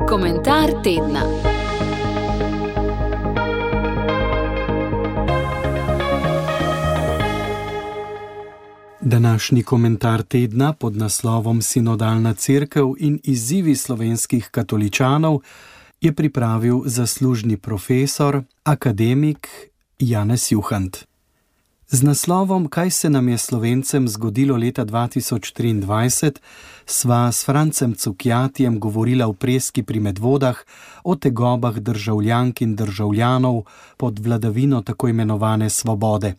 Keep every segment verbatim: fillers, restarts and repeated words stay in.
Komentar tedna. Današnji komentar tedna pod naslovom Sinodalna cerkev in izzivi slovenskih katoličanov je pripravil zaslužni profesor, akademik Janez Juhant. Z naslovom Kaj se nam je Slovencem zgodilo leta dva tisoč triindvajset sva s Francem Cukjatijem govorila v Preski pri Medvodah o tegobah državljank in državljanov pod vladavino tako imenovane svobode.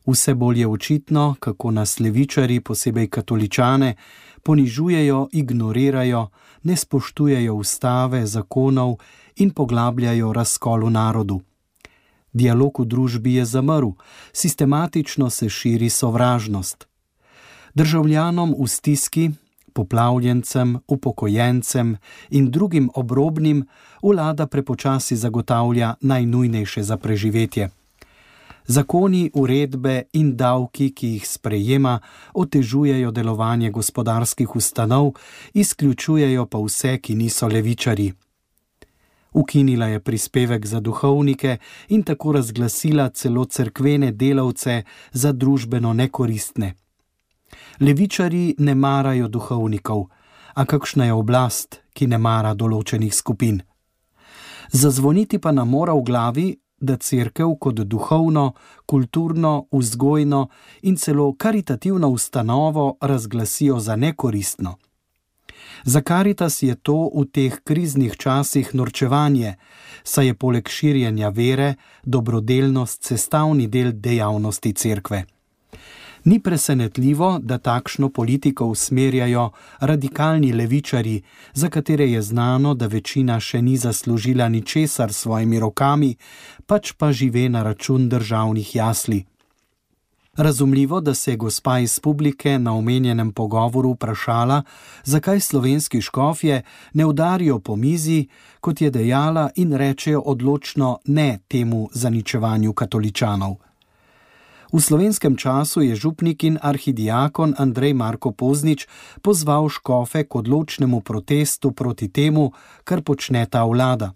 Vse bolj je očitno, kako nas levičarji, posebej katoličane, ponižujejo, ignorirajo, ne spoštujejo ustave, zakonov in poglabljajo razkol v narodu. Dialog v družbi je zamrl, sistematično se širi sovražnost. Državljanom v stiski, poplavljencem, upokojencem in drugim obrobnim vlada prepočasi zagotavlja najnujnejše za preživetje. Zakoni, uredbe in davki, ki jih sprejema, otežujejo delovanje gospodarskih ustanov, izključujejo pa vse, ki niso levičarji. Ukinila je prispevek za duhovnike in tako razglasila celo cerkvene delavce za družbeno nekoristne. Levičarji ne marajo duhovnikov, a kakšna je oblast, ki ne mara določenih skupin? Zazvoniti pa nam mora v glavi, da cerkev kot duhovno, kulturno, vzgojno in celo karitativno ustanovo razglasijo za nekoristno. Za Karitas je to v teh kriznih časih norčevanje, saj je poleg širjenja vere dobrodelnost sestavni del dejavnosti cerkve. Ni presenetljivo, da takšno politiko usmerjajo radikalni levičarji, za katere je znano, da večina še ni zaslužila ničesar s svojimi rokami, pač pa žive na račun državnih jasli. Razumljivo, da se je gospa iz publike na omenjenem pogovoru vprašala, zakaj slovenski škofje ne udarijo po mizi, kot je dejala, in rečejo odločno ne temu zaničevanju katoličanov. V slovenskem času je župnik in arhidiakon Andrej Marko Poznič pozval škofe k odločnemu protestu proti temu, kar počne ta vlada.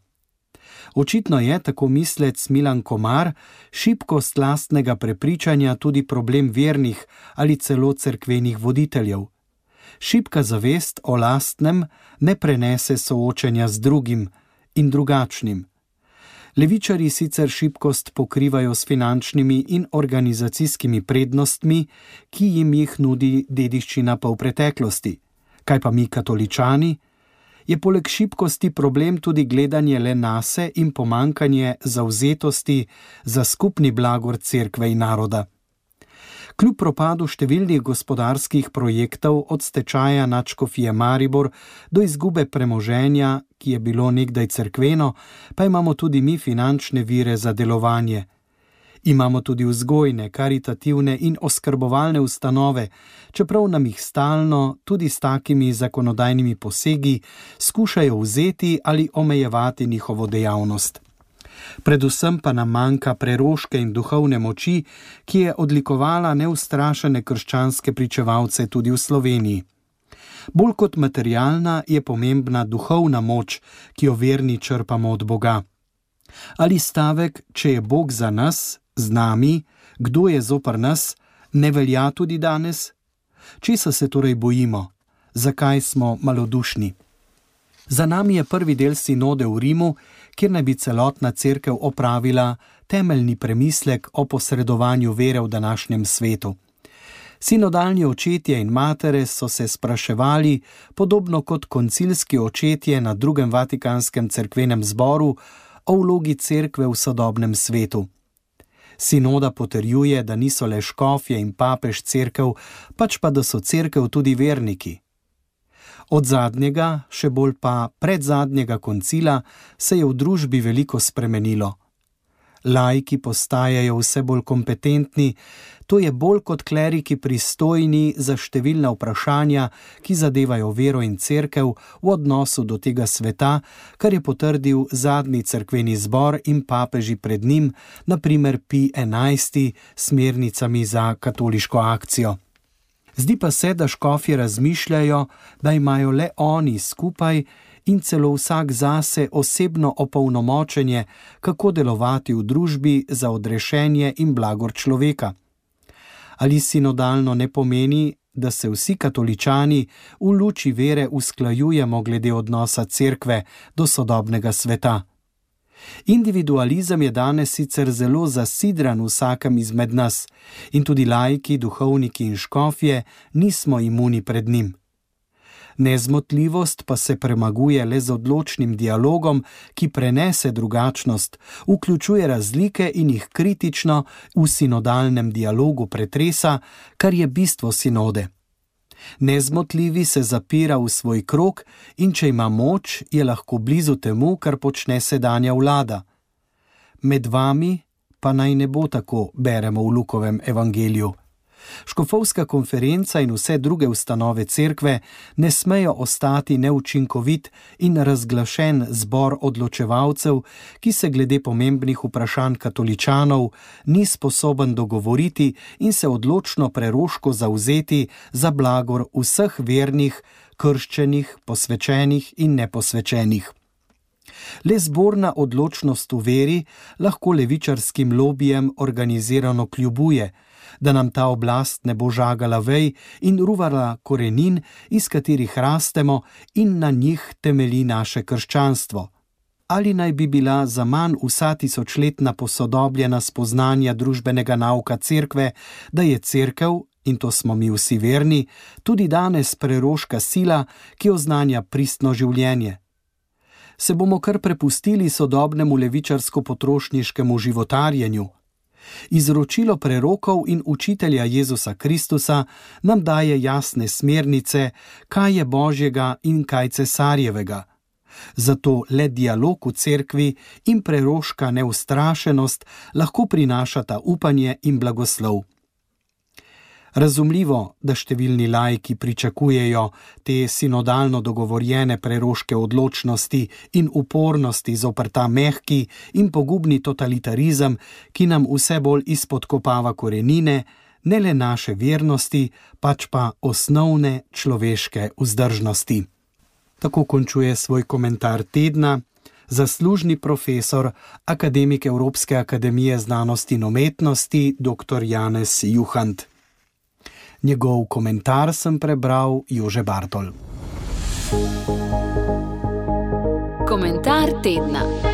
Očitno je, tako mislec Milan Komar, šibkost lastnega prepričanja tudi problem vernih ali celo cerkvenih voditeljev. Šibka zavest o lastnem ne prenese soočenja z drugim in drugačnim. Levičarji sicer šibkost pokrivajo s finančnimi in organizacijskimi prednostmi, ki jim jih nudi dediščina pa v preteklosti. Kaj pa mi katoličani? Je poleg šibkosti problem tudi gledanje le nase in pomankanje zavzetosti za skupni blagor cerkve in naroda. Kljub propadu številnih gospodarskih projektov od stečaja nadškofije Maribor do izgube premoženja, ki je bilo nekdaj cerkveno, pa imamo tudi mi finančne vire za delovanje. Imamo tudi vzgojne, karitativne in oskrbovalne ustanove, čeprav nam jih stalno, tudi s takimi zakonodajnimi posegi, skušajo vzeti ali omejevati njihovo dejavnost. Predvsem pa nam manjka preroške in duhovne moči, ki je odlikovala neustrašene krščanske pričevalce tudi v Sloveniji. Bolj kot materialna je pomembna duhovna moč, ki jo verni črpamo od Boga. Ali stavek, če je Bog za nas, z nami, kdo je zoper nas, ne velja tudi danes? Česa se torej bojimo? Zakaj smo malodušni? Za nami je prvi del sinode v Rimu, kjer naj bi celotna cerkev opravila temeljni premislek o posredovanju vere v današnjem svetu. Sinodalni očetje in matere so se spraševali, podobno kot koncilski očetje na drugem Vatikanskem cerkvenem zboru, o vlogi cerkve v sodobnem svetu. Sinoda potrjuje, da niso le škofje in papež cerkev, pač pa da so cerkev tudi verniki. Od zadnjega, še bolj pa predzadnjega koncila, se je v družbi veliko spremenilo. Laiki postajajo vse bolj kompetentni, to je bolj kot kleriki pristojni za številna vprašanja, ki zadevajo vero in cerkev v odnosu do tega sveta, kar je potrdil zadnji cerkveni zbor in papeži pred njim, na primer Pij enajsti, smernicami za katoliško akcijo. Zdi pa se, da škofje razmišljajo, da imajo le oni skupaj in celo vsak zase osebno opolnomočenje, kako delovati v družbi za odrešenje in blagor človeka. Ali sinodalno ne pomeni, da se vsi katoličani v luči vere usklajujemo glede odnosa cerkve do sodobnega sveta? Individualizem je danes sicer zelo zasidran v vsakem izmed nas in tudi laiki, duhovniki in škofje nismo imuni pred njim. Nezmotljivost pa se premaguje le z odločnim dialogom, ki prenese drugačnost, vključuje razlike in jih kritično v sinodalnem dialogu pretresa, kar je bistvo sinode. Nezmotljivi se zapira v svoj krog in če ima moč, je lahko blizu temu, kar počne sedanja vlada. Med vami pa naj ne bo tako, beremo v Lukovem evangeliju. Škofovska konferenca in vse druge ustanove cerkve ne smejo ostati neučinkovit in razglašen zbor odločevalcev, ki se glede pomembnih vprašanj katoličanov ni sposoben dogovoriti in se odločno preroško zavzeti za blagor vseh vernih, krščenih, posvečenih in neposvečenih. Le zborna odločnost v veri lahko levičarskim lobijem organizirano kljubuje, da nam ta oblast ne bo žagala vej in ruvala korenin, iz katerih rastemo in na njih temelji naše krščanstvo. Ali naj bi bila za manj vsa tisočletna posodobljena spoznanja družbenega nauka cerkve, da je cerkev, in to smo mi vsi verni, tudi danes preroška sila, ki oznanja pristno življenje. Se bomo kar prepustili sodobnemu levičarsko-potrošniškemu životarjenju? Izročilo prerokov in učitelja Jezusa Kristusa nam daje jasne smernice, kaj je Božjega in kaj cesarjevega. Zato le dialog v cerkvi in preroška neustrašenost lahko prinašata upanje in blagoslov. Razumljivo, da številni laiki pričakujejo te sinodalno dogovorjene preroške odločnosti in upornosti zoper ta mehki in pogubni totalitarizem, ki nam vse bolj izpodkopava korenine, ne le naše vernosti, pač pa osnovne človeške vzdržnosti. Tako končuje svoj komentar tedna zaslužni profesor, akademik Evropske akademije znanosti in umetnosti, dr. Janez Juhant. Njegov komentar sem prebral Jože Bartol. Komentar tedna.